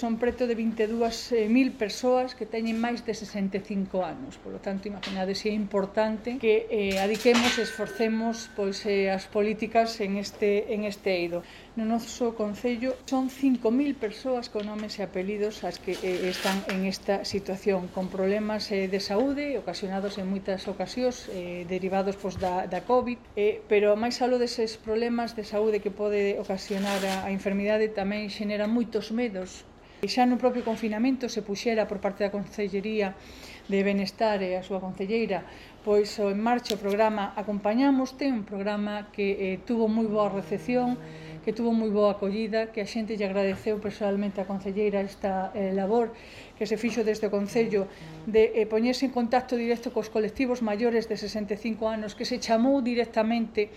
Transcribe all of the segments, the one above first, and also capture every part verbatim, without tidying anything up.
Son preto de vinte e dúas mil persoas que teñen máis de sesenta e cinco anos. Por lo tanto, imaginades se é importante que eh, adiquemos e esforcemos pois, eh, as políticas en este, en este eido. No noso concello son cinco mil persoas con nomes e apelidos as que eh, están en esta situación, con problemas eh, de saúde ocasionados en moitas ocasións, eh, derivados pois, da, da COVID, eh, pero máis aló deses problemas de saúde que pode ocasionar a, a enfermidade tamén xenera moitos medos. E xa no propio confinamento se puxera por parte da Consellería de Benestar e a súa concelleira pois en marcha o programa Acompañamoste, un programa que eh, tuvo moi boa recepción, que tuvo moi boa acollida, que a xente lle agradeceu personalmente a concelleira esta eh, labor que se fixo desde o Concello de eh, poñerse en contacto directo cos colectivos maiores de sesenta e cinco anos, que se chamou directamente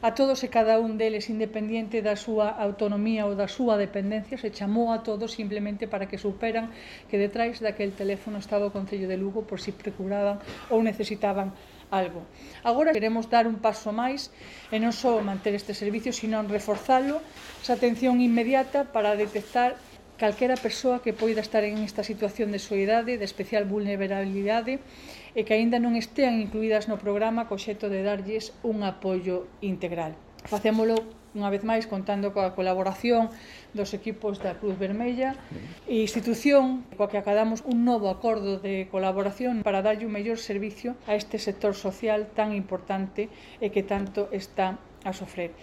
a todos e cada un deles, independiente da súa autonomía ou da súa dependencia, se chamou a todos simplemente para que superan que detrás daquel teléfono estaba o Concello de Lugo por si procuraban ou necesitaban algo. Agora queremos dar un paso máis e non só manter este servicio, sino reforzalo, esa atención inmediata para detectar calquera persoa que poida estar en esta situación de soidade, de especial vulnerabilidade e que aínda non estean incluídas no programa co obxecto de darlles un apoio integral. Facémolo unha vez máis contando coa colaboración dos equipos da Cruz Vermella e institución coa que acadamos un novo acordo de colaboración para darlle un mellor servicio a este sector social tan importante e que tanto está a sofrer.